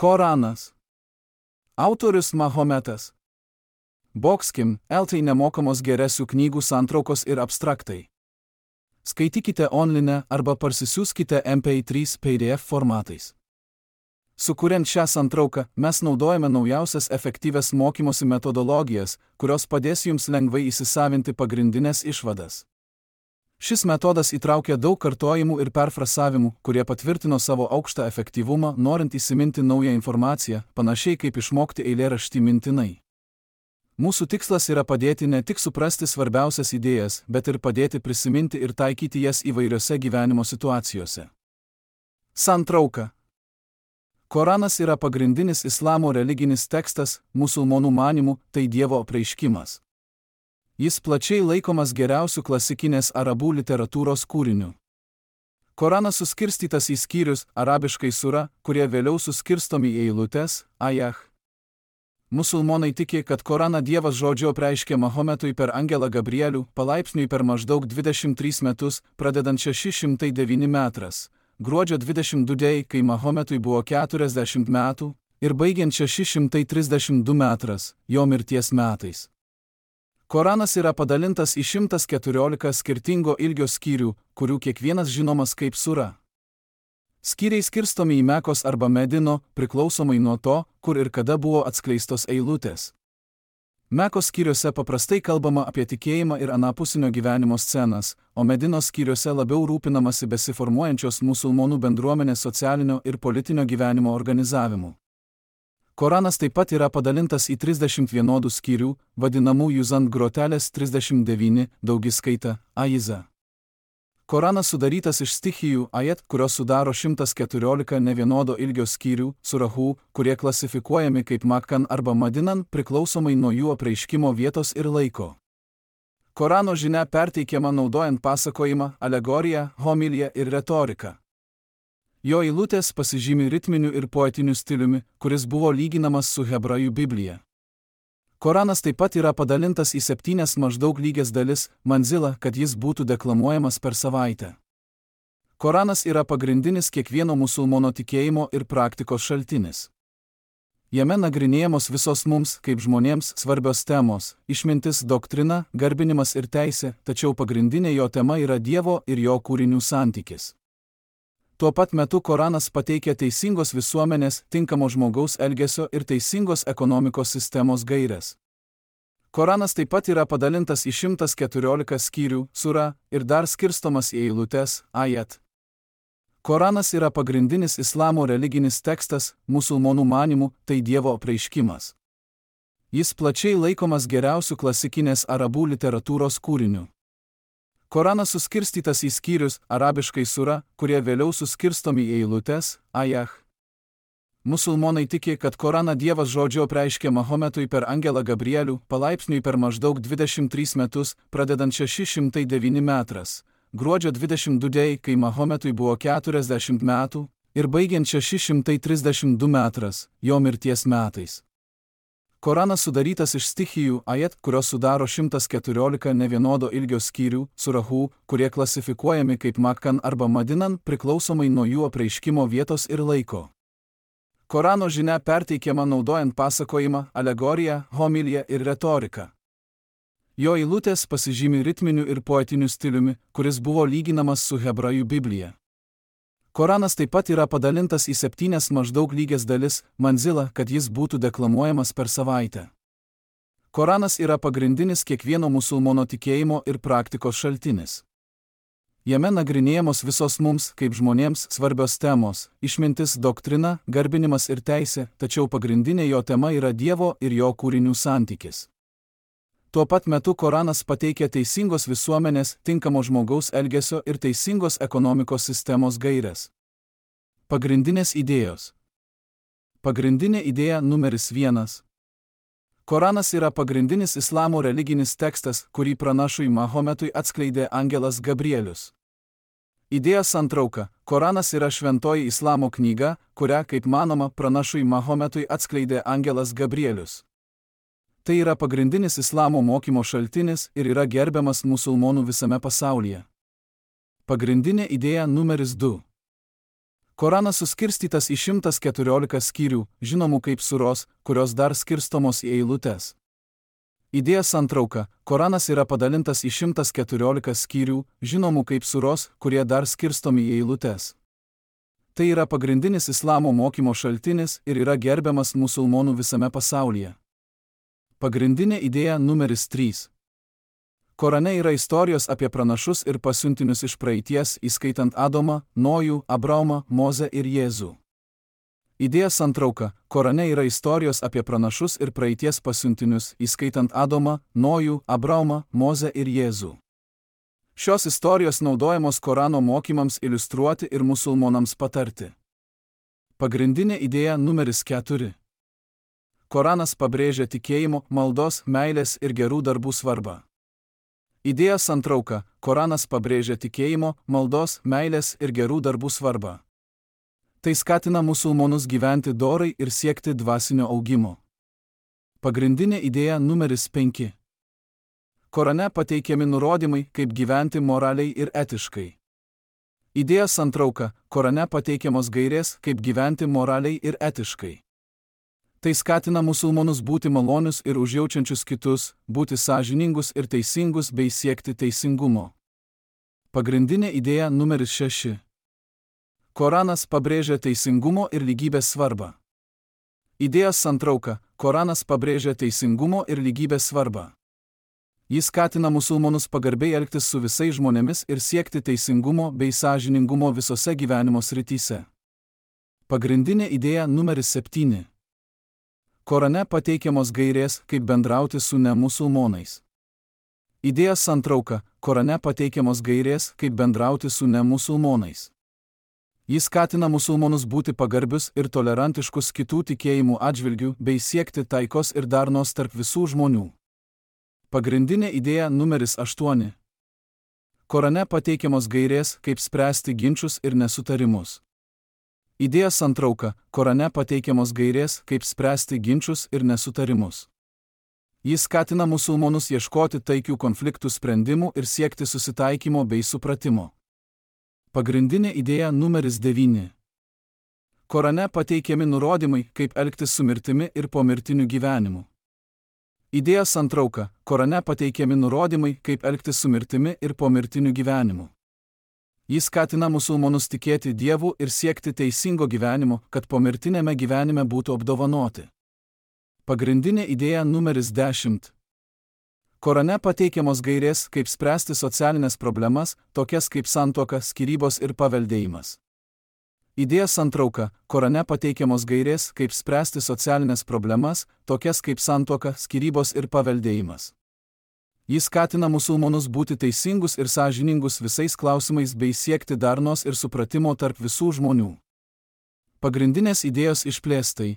Koranas. Autorius Mahometas. Boxkim, LT nemokamos geresių knygų santraukos ir abstraktai. Skaitykite online arba parsisiųskite MP3 PDF formatais. Sukuriant šią santrauką, mes naudojame naujausias efektyvias mokymosi metodologijas, kurios padės jums lengvai įsisavinti pagrindinės išvadas. Šis metodas įtraukia daug kartojimų ir perfrasavimų, kurie patvirtino savo aukštą efektyvumą, norint įsiminti naują informaciją, panašiai kaip išmokti eilėraštį mintinai. Mūsų tikslas yra padėti ne tik suprasti svarbiausias idėjas, bet ir padėti prisiminti ir taikyti jas įvairiose gyvenimo situacijose. Santrauka. Koranas yra pagrindinis islamo religinis tekstas, musulmonų manymų, tai Dievo apreiškimas. Jis plačiai laikomas geriausiu klasikinės arabų literatūros kūriniu. Koranas suskirstytas į skyrius, arabiškai sura, kurie vėliau suskirstomi į eilutes, ajah. Musulmonai tiki, kad Koraną Dievas žodžiu apreiškė Mahometui per angelą Gabrielių, palaipsniui per maždaug 23 metus, pradedant 609 metras, gruodžio 22 dėjai, kai Mahometui buvo 40 metų, ir baigiant 632 metras, jo mirties metais. Koranas yra padalintas į 114 skirtingo ilgio skyrių, kurių kiekvienas žinomas kaip sura. Skyriai skirstomi į Mekos arba Medino, priklausomai nuo to, kur ir kada buvo atskleistos eilutės. Mekos skyriuose paprastai kalbama apie tikėjimą ir anapusinio gyvenimo scenas, o Medinos skyriuose labiau rūpinamasi besiformuojančios musulmonų bendruomenės socialinio ir politinio gyvenimo organizavimu. Koranas taip pat yra padalintas į 30 vienodų skyrių, vadinamųjų ant grotelės 39, daugiskaita, ajiza. Koranas sudarytas iš stichijų ajet, kurios sudaro 114 nevienodo ilgio skyrių, surahų, kurie klasifikuojami kaip Makkan arba Madinan, priklausomai nuo jų apreiškimo vietos ir laiko. Korano žinia perteikiama naudojant pasakojimą, alegoriją, homiliją ir retoriką. Jo eilutės pasižymi ritminiu ir poetiniu stiliumi, kuris buvo lyginamas su hebrajų Biblija. Koranas taip pat yra padalintas į 7 maždaug lygias dalis, manzilą, kad jis būtų deklamuojamas per savaitę. Koranas yra pagrindinis kiekvieno musulmono tikėjimo ir praktikos šaltinis. Jame nagrinėjamos visos mums, kaip žmonėms, svarbios temos – išmintis, doktrina, garbinimas ir teisė, tačiau pagrindinė jo tema yra Dievo ir jo kūrinių santykis. Tuo pat metu Koranas pateikia teisingos visuomenės, tinkamo žmogaus elgesio ir teisingos ekonomikos sistemos gaires. Koranas taip pat yra padalintas į 114 skyrių, sura, ir dar skirstomas į eilutes, ajat. Koranas yra pagrindinis islamo religinis tekstas, musulmonų manymų, tai Dievo apreiškimas. Jis plačiai laikomas geriausiu klasikinės arabų literatūros kūriniu. Koranas suskirstytas į skyrius, arabiškai sura, kurie vėliau suskirstomi į eilutes, ajah. Musulmonai tiki, kad Koraną Dievas žodžiu apreiškė Mahometui per angelą Gabrielių, palaipsniui per maždaug 23 metus, pradedant 609 metras, gruodžio 22 dėjai, kai Mahometui buvo 40 metų, ir baigiant 632 metras, jo mirties metais. Koranas sudarytas iš stichijų ajet, kurios sudaro 114 nevienodo ilgio skyrių, surahų, kurie klasifikuojami kaip Makkan arba Madinan, priklausomai nuo jų apreiškimo vietos ir laiko. Korano žinia perteikiama naudojant pasakojimą, alegoriją, homiliją ir retoriką. Jo eilutės pasižymi ritminiu ir poetiniu stiliumi, kuris buvo lyginamas su hebrajų Biblija. Koranas taip pat yra padalintas į 7 maždaug lygias dalis, manzilą, kad jis būtų deklamuojamas per savaitę. Koranas yra pagrindinis kiekvieno musulmono tikėjimo ir praktikos šaltinis. Jame nagrinėjamos visos mums, kaip žmonėms, svarbios temos – išmintis, doktrina, garbinimas ir teisė, tačiau pagrindinė jo tema yra Dievo ir jo kūrinių santykis. Tuo pat metu Koranas pateikia teisingos visuomenės, tinkamo žmogaus elgesio ir teisingos ekonomikos sistemos gaires. Pagrindinės idėjos. Pagrindinė idėja numeris 1. Koranas yra pagrindinis islamo religinis tekstas, kurį pranašui Mahometui atskleidė angelas Gabrielius. Idėjos santrauka. Koranas yra šventoji islamo knyga, kurią, kaip manoma, pranašui Mahometui atskleidė angelas Gabrielius. Tai yra pagrindinis islamo mokymo šaltinis ir yra gerbiamas musulmonų visame pasaulyje. Pagrindinė idėja numeris 2. Koranas suskirstytas į 114 skyrių, žinomų kaip suros, kurios dar skirstomos į eilutes. Idėja santrauka. Koranas yra padalintas į 114 skyrių, žinomų kaip suros, kurie dar skirstomi į eilutes. Tai yra pagrindinis islamo mokymo šaltinis ir yra gerbiamas musulmonų visame pasaulyje. Pagrindinė idėja numeris 3. Korane yra istorijos apie pranašus ir pasiuntinius iš praeities, įskaitant Adomą, Nojų, Abraomą, Mozę ir Jėzų. Idėja santrauka. Korane yra istorijos apie pranašus ir praeities pasiuntinius, įskaitant Adomą, Nojų, Abraomą, Mozę ir Jėzų. Šios istorijos naudojamos Korano mokymams iliustruoti ir musulmonams patarti. Pagrindinė idėja numeris 4. Koranas pabrėžia tikėjimo, maldos, meilės ir gerų darbų svarbą. Idėja santrauka. Koranas pabrėžia tikėjimo, maldos, meilės ir gerų darbų svarbą. Tai skatina musulmonus gyventi dorai ir siekti dvasinio augimo. Pagrindinė idėja numeris 5. Korane pateikiami nurodymai, kaip gyventi moraliai ir etiškai. Idėja santrauka. Korane pateikiamos gairės, kaip gyventi moraliai ir etiškai. Tai skatina musulmonus būti malonius ir užjaučiančius kitus, būti sąžiningus ir teisingus bei siekti teisingumo. Pagrindinė idėja numeris 6. Koranas pabrėžia teisingumo ir lygybės svarbą. Idėja santrauka. Koranas pabrėžia teisingumo ir lygybės svarbą. Jis skatina musulmonus pagarbiai elgtis su visais žmonėmis ir siekti teisingumo bei sąžiningumo visose gyvenimo srityse. Pagrindinė idėja numeris 7. Korane pateikiamos gairės, kaip bendrauti su nemusulmonais. Idėja santrauka. Korane pateikiamos gairės, kaip bendrauti su nemusulmonais. Jis skatina musulmonus būti pagarbius ir tolerantiškus kitų tikėjimų atžvilgių bei siekti taikos ir darnos tarp visų žmonių. Pagrindinė idėja numeris 8. Korane pateikiamos gairės, kaip spręsti ginčus ir nesutarimus. Idėja santrauka. Korane pateikiamos gairės, kaip spręsti ginčus ir nesutarimus. Jis skatina musulmonus ieškoti taikių konfliktų sprendimų ir siekti susitaikymo bei supratimo. Pagrindinė idėja numeris 9. Korane pateikiami nurodymai, kaip elgtis su mirtimi ir pomirtiniu gyvenimu. Idėja santrauka. Korane pateikiami nurodymai, kaip elgtis su mirtimi ir pomirtiniu gyvenimu. Jis skatina musulmonus tikėti Dievu ir siekti teisingo gyvenimo, kad pomirtinėme gyvenime būtų apdovanoti. Pagrindinė idėja numeris 10. Korane pateikiamos gairės, kaip spręsti socialinės problemas, tokias kaip santuoka, skyrybos ir paveldėjimas. Idėja santrauka. Korane pateikiamos gairės, kaip spręsti socialinės problemas, tokias kaip santuoka, skyrybos ir paveldėjimas. Jis skatina musulmonus būti teisingus ir sąžiningus visais klausimais bei siekti darnos ir supratimo tarp visų žmonių. Pagrindinės idėjos išplėstai.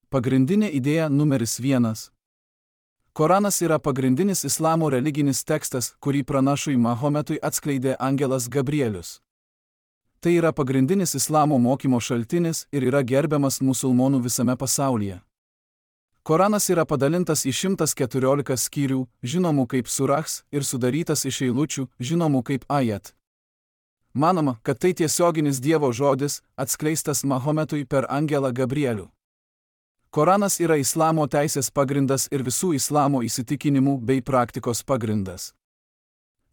Pagrindinė idėja numeris 1. Koranas yra pagrindinis islamo religinis tekstas, kurį pranašui Mahometui atskleidė angelas Gabrielius. Tai yra pagrindinis islamo mokymo šaltinis ir yra gerbiamas musulmonų visame pasaulyje. Koranas yra padalintas į 114 skyrių, žinomų kaip surahs, ir sudarytas iš eilučių, žinomų kaip ajat. Manoma, kad tai tiesioginis Dievo žodis, atskleistas Mahometui per angelą Gabrielių. Koranas yra islamo teisės pagrindas ir visų islamo įsitikinimų bei praktikos pagrindas.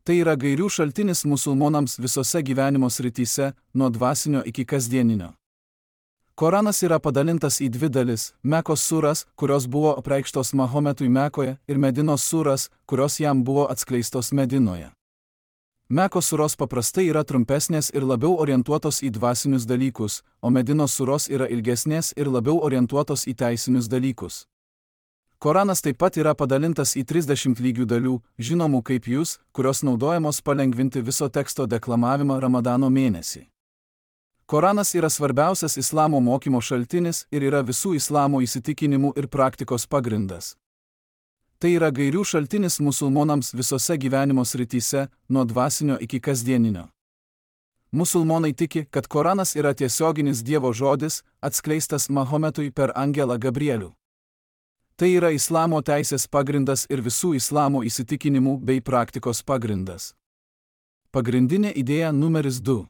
Tai yra gairių šaltinis musulmonams visose gyvenimo srityse, nuo dvasinio iki kasdieninio. Koranas yra padalintas į 2 dalis – Mekos suras, kurios buvo apreikštos Mahometui Mekoje, ir Medinos suras, kurios jam buvo atskleistos Medinoje. Mekos suros paprastai yra trumpesnės ir labiau orientuotos į dvasinius dalykus, o Medinos suros yra ilgesnės ir labiau orientuotos į teisinius dalykus. Koranas taip pat yra padalintas į 30 lygių dalių, žinomų kaip jūs, kurios naudojamos palengvinti viso teksto deklamavimą Ramadano mėnesį. Koranas yra svarbiausias islamo mokymo šaltinis ir yra visų islamo įsitikinimų ir praktikos pagrindas. Tai yra gairių šaltinis musulmonams visose gyvenimo srityse, nuo dvasinio iki kasdieninio. Musulmonai tiki, kad Koranas yra tiesioginis Dievo žodis, atskleistas Mahometui per angelą Gabrielių. Tai yra islamo teisės pagrindas ir visų islamo įsitikinimų bei praktikos pagrindas. Pagrindinė idėja numeris 2.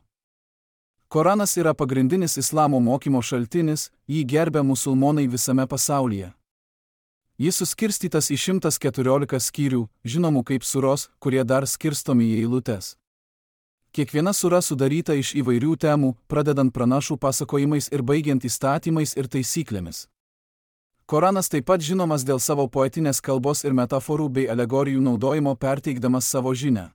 Koranas yra pagrindinis islamo mokymo šaltinis, jį gerbia musulmonai visame pasaulyje. Jis suskirstytas į 114 skyrių, žinomų kaip suros, kurie dar skirstomi į eilutes. Kiekviena sura sudaryta iš įvairių temų, pradedant pranašų pasakojimais ir baigiant įstatymais ir taisyklėmis. Koranas taip pat žinomas dėl savo poetinės kalbos ir metaforų bei alegorijų naudojimo perteikdamas savo žinią.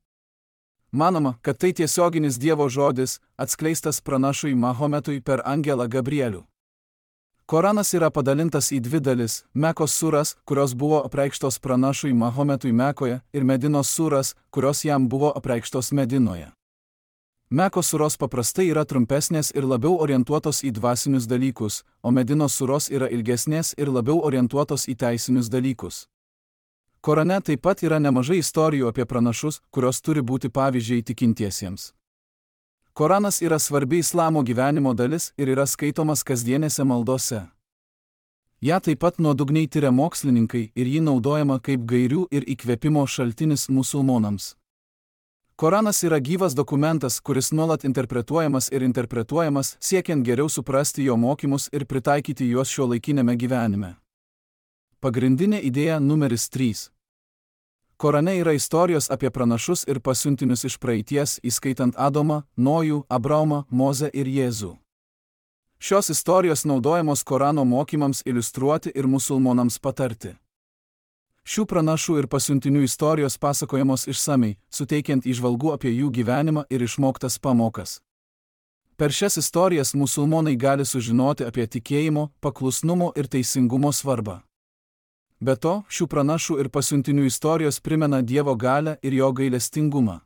Manoma, kad tai tiesioginis Dievo žodis, atskleistas pranašui Mahometui per angelą Gabrielių. Koranas yra padalintas į dvi dalis – Mekos suras, kurios buvo apreikštos pranašui Mahometui Mekoje, ir Medinos suras, kurios jam buvo apreikštos Medinoje. Mekos suros paprastai yra trumpesnės ir labiau orientuotos į dvasinius dalykus, o Medinos suros yra ilgesnės ir labiau orientuotos į teisinius dalykus. Korane taip pat yra nemažai istorijų apie pranašus, kurios turi būti pavyzdžiai tikintiesiems. Koranas yra svarbi islamo gyvenimo dalis ir yra skaitomas kasdienėse maldose. Ja taip pat nuodugniai tiria mokslininkai ir jį naudojama kaip gairių ir įkvėpimo šaltinis musulmonams. Koranas yra gyvas dokumentas, kuris nuolat interpretuojamas, siekiant geriau suprasti jo mokymus ir pritaikyti juos šiuolaikiniame gyvenime. Pagrindinė idėja numeris 3. Korane yra istorijos apie pranašus ir pasiuntinius iš praeities, įskaitant Adomą, Nojų, Abraomą, Mozę ir Jėzų. Šios istorijos naudojamos Korano mokymams iliustruoti ir musulmonams patarti. Šių pranašų ir pasiuntinių istorijos pasakojamos išsamiai, suteikiant įžvalgų apie jų gyvenimą ir išmoktas pamokas. Per šias istorijas musulmonai gali sužinoti apie tikėjimo, paklusnumo ir teisingumo svarbą. Be to, šių pranašų ir pasiuntinių istorijos primena Dievo galią ir jo gailestingumą.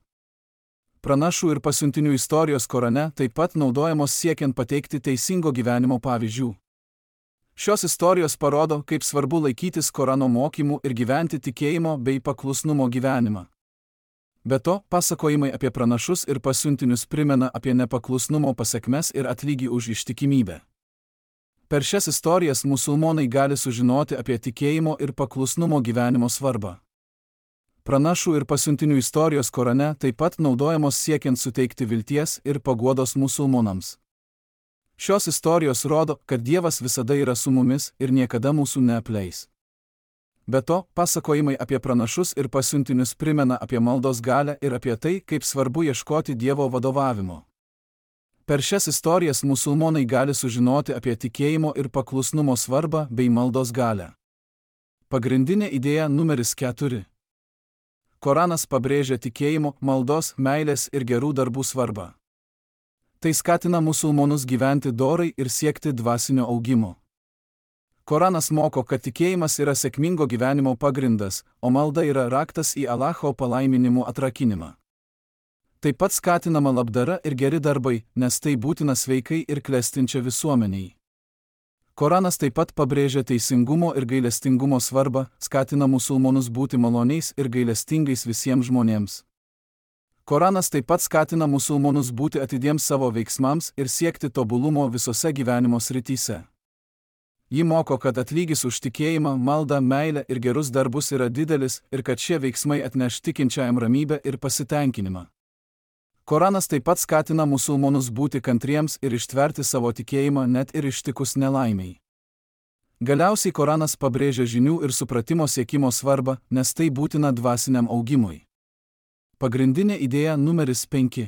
Pranašų ir pasiuntinių istorijos Korane taip pat naudojamos siekiant pateikti teisingo gyvenimo pavyzdžių. Šios istorijos parodo, kaip svarbu laikytis Korano mokymų ir gyventi tikėjimo bei paklusnumo gyvenimą. Be to, pasakojimai apie pranašus ir pasiuntinius primena apie nepaklusnumo pasekmes ir atlygį už ištikimybę. Per šias istorijas musulmonai gali sužinoti apie tikėjimo ir paklusnumo gyvenimo svarbą. Pranašų ir pasiuntinių istorijos Korane taip pat naudojamos siekiant suteikti vilties ir paguodos musulmonams. Šios istorijos rodo, kad Dievas visada yra su mumis ir niekada mūsų neapleis. Be to, pasakojimai apie pranašus ir pasiuntinius primena apie maldos galią ir apie tai, kaip svarbu ieškoti Dievo vadovavimo. Per šias istorijas musulmonai gali sužinoti apie tikėjimo ir paklusnumo svarbą bei maldos galią. Pagrindinė idėja numeris 4. Koranas pabrėžia tikėjimo, maldos, meilės ir gerų darbų svarbą. Tai skatina musulmonus gyventi dorai ir siekti dvasinio augimo. Koranas moko, kad tikėjimas yra sėkmingo gyvenimo pagrindas, o malda yra raktas į Allaho palaiminimų atrakinimą. Taip pat skatinama labdara ir geri darbai, nes tai būtina sveikai ir klestinčia visuomeniai. Koranas taip pat pabrėžia teisingumo ir gailestingumo svarbą, skatina musulmonus būti maloniais ir gailestingais visiems žmonėms. Koranas taip pat skatina musulmonus būti atidiems savo veiksmams ir siekti tobulumo visose gyvenimo srityse. Ji moko, kad atlygis už tikėjimą, maldą, meilę ir gerus darbus yra didelis ir kad šie veiksmai atneš tikinčiajam ramybę ir pasitenkinimą. Koranas taip pat skatina musulmonus būti kantriems ir ištverti savo tikėjimą net ir ištikus nelaimiai. Galiausiai Koranas pabrėžia žinių ir supratimo siekimo svarbą, nes tai būtina dvasiniam augimui. Pagrindinė idėja numeris 5.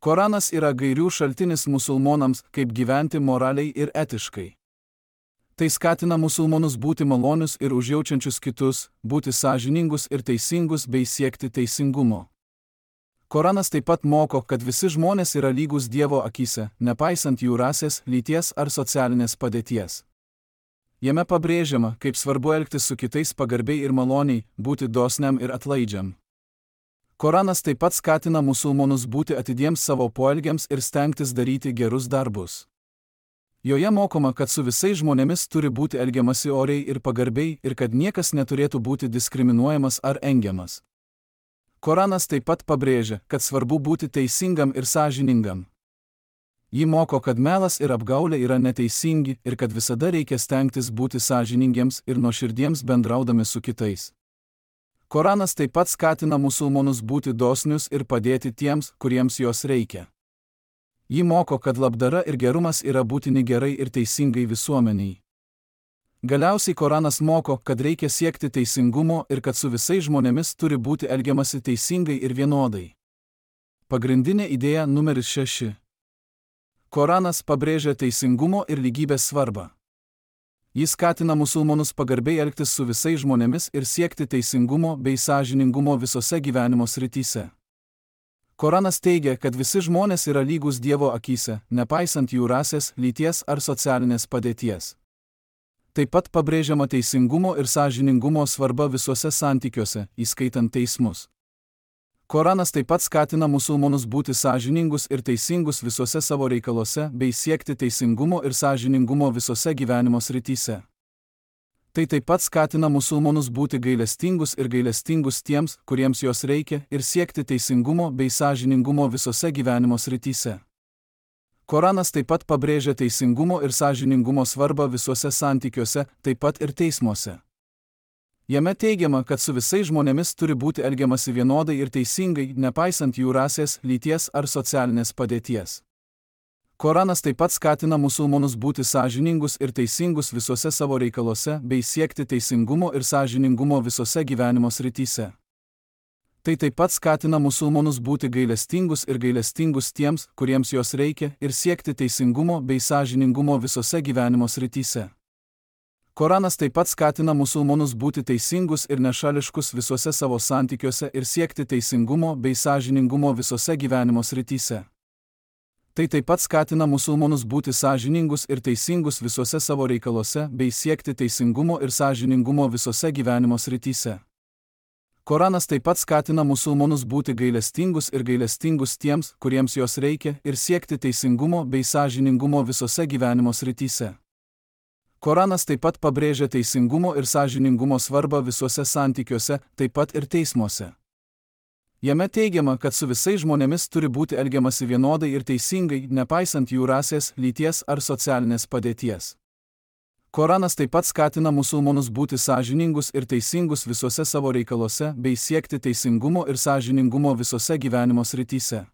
Koranas yra gairių šaltinis musulmonams, kaip gyventi moraliai ir etiškai. Tai skatina musulmonus būti malonius ir užjaučiančius kitus, būti sąžiningus ir teisingus bei siekti teisingumo. Koranas taip pat moko, kad visi žmonės yra lygus Dievo akyse, nepaisant jų rasės, lyties ar socialinės padėties. Jame pabrėžiama, kaip svarbu elgtis su kitais pagarbiai ir maloniai, būti dosniam ir atlaidžiam. Koranas taip pat skatina musulmonus būti atidiems savo poelgiams ir stengtis daryti gerus darbus. Joje mokoma, kad su visais žmonėmis turi būti elgiamasi oriai ir pagarbiai ir kad niekas neturėtų būti diskriminuojamas ar engiamas. Koranas taip pat pabrėžia, kad svarbu būti teisingam ir sąžiningam. Ji moko, kad melas ir apgaulė yra neteisingi ir kad visada reikia stengtis būti sąžiningiems ir nuoširdiems bendraudami su kitais. Koranas taip pat skatina musulmonus būti dosnius ir padėti tiems, kuriems jos reikia. Ji moko, kad labdara ir gerumas yra būtini gerai ir teisingai visuomeniai. Galiausiai Koranas moko, kad reikia siekti teisingumo ir kad su visais žmonėmis turi būti elgiamasi teisingai ir vienodai. Pagrindinė idėja numeris 6. Koranas pabrėžia teisingumo ir lygybės svarbą. Jis skatina musulmonus pagarbiai elgtis su visais žmonėmis ir siekti teisingumo bei sąžiningumo visose gyvenimo srityse. Koranas teigia, kad visi žmonės yra lygus Dievo akyse, nepaisant jų rasės, lyties ar socialinės padėties. Taip pat pabrėžiama teisingumo ir sąžiningumo svarba visuose santykiuose, įskaitant teismus. Koranas taip pat skatina musulmonus būti sąžiningus ir teisingus visuose savo reikaluose bei siekti teisingumo ir sąžiningumo visose gyvenimo srityse. Tai taip pat skatina musulmonus būti gailestingus tiems, kuriems jos reikia, ir siekti teisingumo bei sąžiningumo visose gyvenimo srityse. Koranas taip pat pabrėžia teisingumo ir sąžiningumo svarbą visuose santykiuose, taip pat ir teismuose. Jame teigiama, kad su visais žmonėmis turi būti elgiamasi vienodai ir teisingai, nepaisant jų rasės, lyties ar socialinės padėties. Koranas taip pat skatina musulmonus būti sąžiningus ir teisingus visuose savo reikaluose bei siekti teisingumo ir sąžiningumo visose gyvenimo srityse. Tai taip pat skatina musulmonus būti gailestingus tiems, kuriems jos reikia, ir siekti teisingumo bei sąžiningumo visose gyvenimo srityse. Koranas taip pat skatina musulmonus būti teisingus ir nešališkus visuose savo santykiuose ir siekti teisingumo bei sąžiningumo visose gyvenimo srityse. Tai taip pat skatina musulmonus būti sąžiningus ir teisingus visuose savo reikaluose bei siekti teisingumo ir sąžiningumo visose gyvenimo srityse. Koranas taip pat skatina musulmonus būti gailestingus tiems, kuriems jos reikia, ir siekti teisingumo bei sąžiningumo visose gyvenimo srityse. Koranas taip pat pabrėžia teisingumo ir sąžiningumo svarbą visuose santykiuose, taip pat ir teismuose. Jame teigiama, kad su visais žmonėmis turi būti elgiamasi vienodai ir teisingai, nepaisant jų rasės, lyties ar socialinės padėties. Koranas taip pat skatina musulmonus būti sąžiningus ir teisingus visuose savo reikaluose bei siekti teisingumo ir sąžiningumo visose gyvenimo srityse.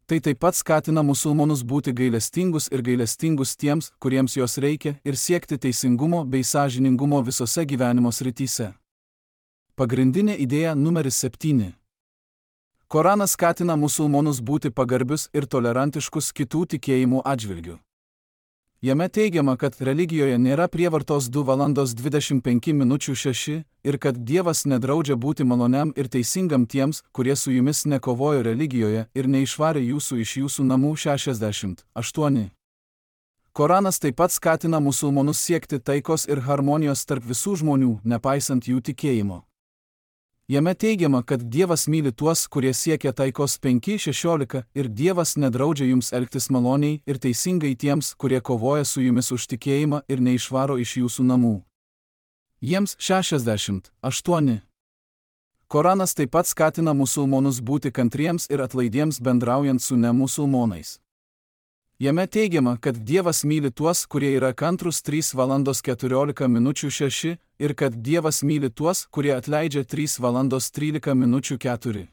Tai taip pat skatina musulmonus būti gailestingus tiems, kuriems jos reikia, ir siekti teisingumo bei sąžiningumo visose gyvenimo srityse. Pagrindinė idėja numeris 7. Koranas skatina musulmonus būti pagarbius ir tolerantiškus kitų tikėjimų atžvilgiu. Jame teigiama, kad religijoje nėra prievartos 2:25:6 ir kad Dievas nedraudžia būti maloniam ir teisingam tiems, kurie su jumis nekovojo religijoje ir neišvarė jūsų iš jūsų namų 68. Koranas taip pat skatina musulmonus siekti taikos ir harmonijos tarp visų žmonių, nepaisant jų tikėjimo. Jame teigiama, kad Dievas myli tuos, kurie siekia taikos 5:16 ir Dievas nedraudžia jums elgtis maloniai ir teisingai tiems, kurie kovoja su jumis už tikėjimą ir neišvaro iš jūsų namų. Jiems 68. Koranas taip pat skatina musulmonus būti kantriems ir atlaidiems bendraujant su nemusulmonais. Jame teigiama, kad Dievas myli tuos, kurie yra kantrus 3:14:6 ir kad Dievas myli tuos, kurie atleidžia 3:13:4.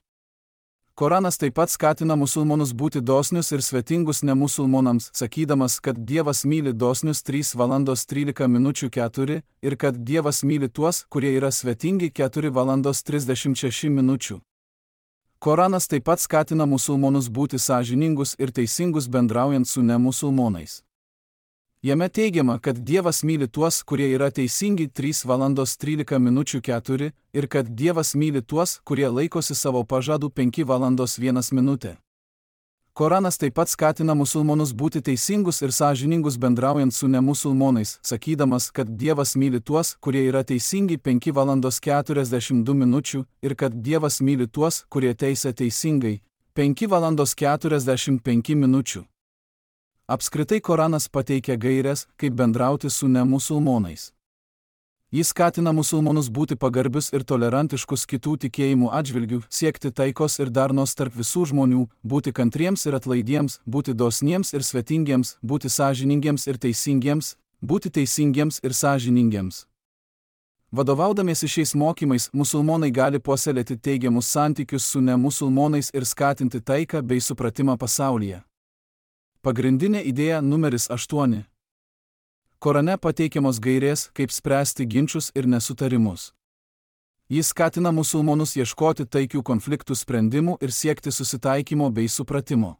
Koranas taip pat skatina musulmonus būti dosnius ir svetingus nemusulmonams, sakydamas, kad Dievas myli dosnius 3:13:4 ir kad Dievas myli tuos, kurie yra svetingi 4:36. Koranas taip pat skatina musulmonus būti sąžiningus ir teisingus bendraujant su nemusulmonais. Jame teigiama, kad Dievas myli tuos, kurie yra teisingi 3:13:4 ir kad Dievas myli tuos, kurie laikosi savo pažadų 5:01. Koranas taip pat skatina musulmonus būti teisingus ir sąžiningus bendraujant su nemusulmonais, sakydamas, kad Dievas myli tuos, kurie yra teisingi 5:42 ir kad Dievas myli tuos, kurie teisia teisingai 5:45. Apskritai Koranas pateikia gaires, kaip bendrauti su nemusulmonais. Jis skatina musulmonus būti pagarbius ir tolerantiškus kitų tikėjimų atžvilgių, siekti taikos ir darnos tarp visų žmonių, būti kantriems ir atlaidiems, būti dosniems ir svetingiems, būti sąžiningiems ir teisingiems, būti teisingiems ir sąžiningiems. Vadovaudamiesi šiais mokymais, musulmonai gali puoselėti teigiamus santykius su nemusulmonais ir skatinti taiką bei supratimą pasaulyje. Pagrindinė idėja numeris 8. Korane pateikiamos gairės, kaip spręsti ginčus ir nesutarimus. Jis skatina musulmonus ieškoti taikių konfliktų sprendimų ir siekti susitaikymo bei supratimo.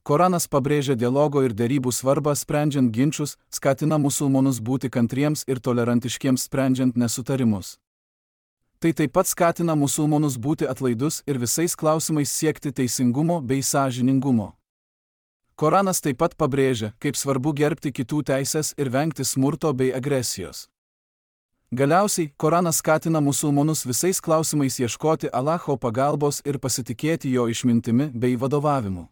Koranas pabrėžia dialogo ir derybų svarbą sprendžiant ginčus, skatina musulmonus būti kantriems ir tolerantiškiems sprendžiant nesutarimus. Tai taip pat skatina musulmonus būti atlaidus ir visais klausimais siekti teisingumo bei sąžiningumo. Koranas taip pat pabrėžia, kaip svarbu gerbti kitų teisės ir vengti smurto bei agresijos. Galiausiai, Koranas skatina musulmonus visais klausimais ieškoti Allaho pagalbos ir pasitikėti jo išmintimi bei vadovavimu.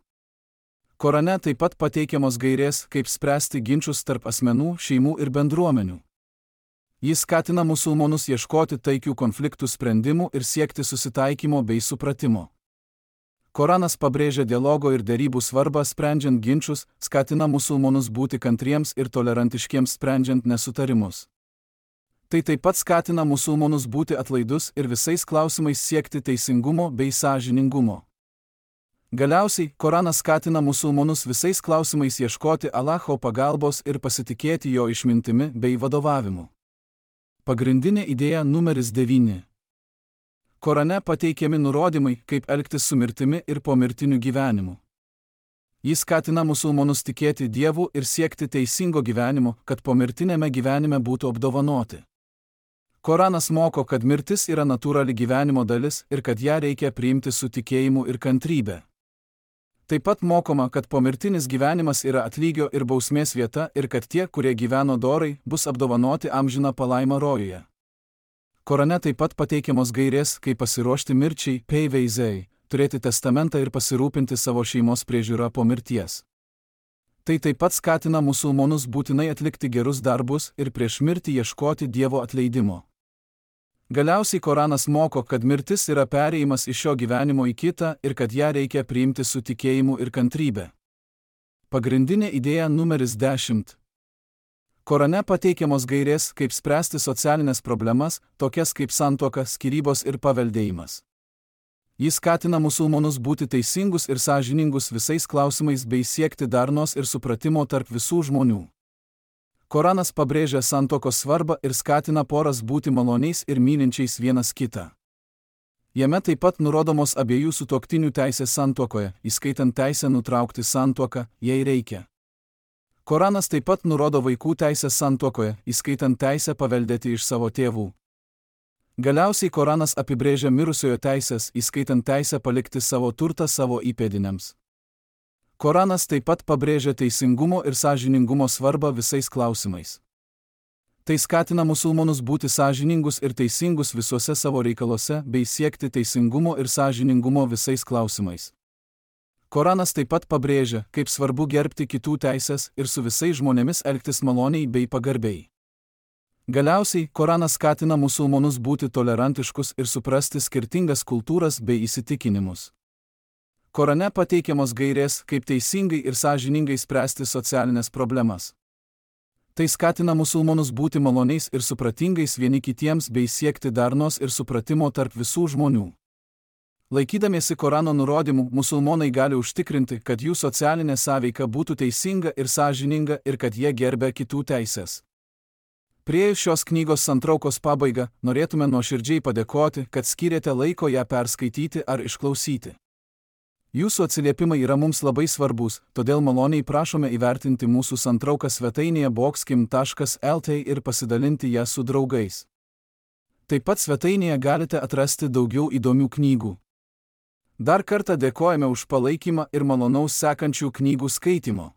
Korane taip pat pateikiamos gairės, kaip spręsti ginčus tarp asmenų, šeimų ir bendruomenių. Jis skatina musulmonus ieškoti taikių konfliktų sprendimų ir siekti susitaikymo bei supratimo. Koranas pabrėžia dialogo ir derybų svarbą sprendžiant ginčus, skatina musulmonus būti kantriems ir tolerantiškiems sprendžiant nesutarimus. Tai taip pat skatina musulmonus būti atlaidus ir visais klausimais siekti teisingumo bei sąžiningumo. Galiausiai, Koranas skatina musulmonus visais klausimais ieškoti Allaho pagalbos ir pasitikėti jo išmintimi bei vadovavimu. Pagrindinė idėja numeris 9. Korane pateikiami nurodymai, kaip elgtis su mirtimi ir pomirtiniu gyvenimu. Jis skatina musulmonus tikėti Dievu ir siekti teisingo gyvenimo, kad pomirtinėme gyvenime būtų apdovanoti. Koranas moko, kad mirtis yra natūrali gyvenimo dalis ir kad ją reikia priimti su tikėjimu ir kantrybe. Taip pat mokoma, kad pomirtinis gyvenimas yra atlygio ir bausmės vieta ir kad tie, kurie gyveno dorai, bus apdovanoti amžiną palaimą rojuje. Korane taip pat pateikiamos gairės, kaip pasiruošti mirčiai, peiveizei, turėti testamentą ir pasirūpinti savo šeimos priežiūrą po mirties. Tai taip pat skatina musulmonus būtinai atlikti gerus darbus ir prieš mirtį ieškoti Dievo atleidimo. Galiausiai Koranas moko, kad mirtis yra perėjimas iš šio gyvenimo į kitą ir kad ją reikia priimti su tikėjimu ir kantrybe. Pagrindinė idėja numeris 10. Korane pateikiamos gairės, kaip spręsti socialinės problemas, tokias kaip santuoka, skyrybos ir paveldėjimas. Jis skatina musulmonus būti teisingus ir sąžiningus visais klausimais bei siekti darnos ir supratimo tarp visų žmonių. Koranas pabrėžia santuokos svarbą ir skatina poras būti maloniais ir mylinčiais vienas kitą. Jame taip pat nurodomos abiejų sutuoktinių teisės santuokoje, įskaitant teisę nutraukti santuoką, jei reikia. Koranas taip pat nurodo vaikų teisės santuokoje, įskaitant teisę paveldėti iš savo tėvų. Galiausiai Koranas apibrėžia mirusiojo teisės, įskaitant teisę palikti savo turtą savo įpėdiniams. Koranas taip pat pabrėžia teisingumo ir sąžiningumo svarbą visais klausimais. Tai skatina musulmonus būti sąžiningus ir teisingus visuose savo reikaluose bei siekti teisingumo ir sąžiningumo visais klausimais. Koranas taip pat pabrėžia, kaip svarbu gerbti kitų teisės ir su visais žmonėmis elgtis maloniai bei pagarbiai. Galiausiai, Koranas skatina musulmonus būti tolerantiškus ir suprasti skirtingas kultūras bei įsitikinimus. Korane pateikiamos gairės, kaip teisingai ir sąžiningai spręsti socialinės problemas. Tai skatina musulmonus būti maloniais ir supratingais vieni kitiems bei siekti darnos ir supratimo tarp visų žmonių. Laikydamiesi Korano nurodymų, musulmonai gali užtikrinti, kad jų socialinė sąveika būtų teisinga ir sąžininga ir kad jie gerbia kitų teisės. Priėjus šios knygos santraukos pabaigą, norėtume nuoširdžiai padėkoti, kad skyrėte laiko ją perskaityti ar išklausyti. Jūsų atsiliepimai yra mums labai svarbus, todėl maloniai prašome įvertinti mūsų santrauką svetainėje boxkim.lt ir pasidalinti ją su draugais. Taip pat svetainėje galite atrasti daugiau įdomių knygų. Dar kartą dėkojame už palaikymą ir malonaus sekančių knygų skaitimo.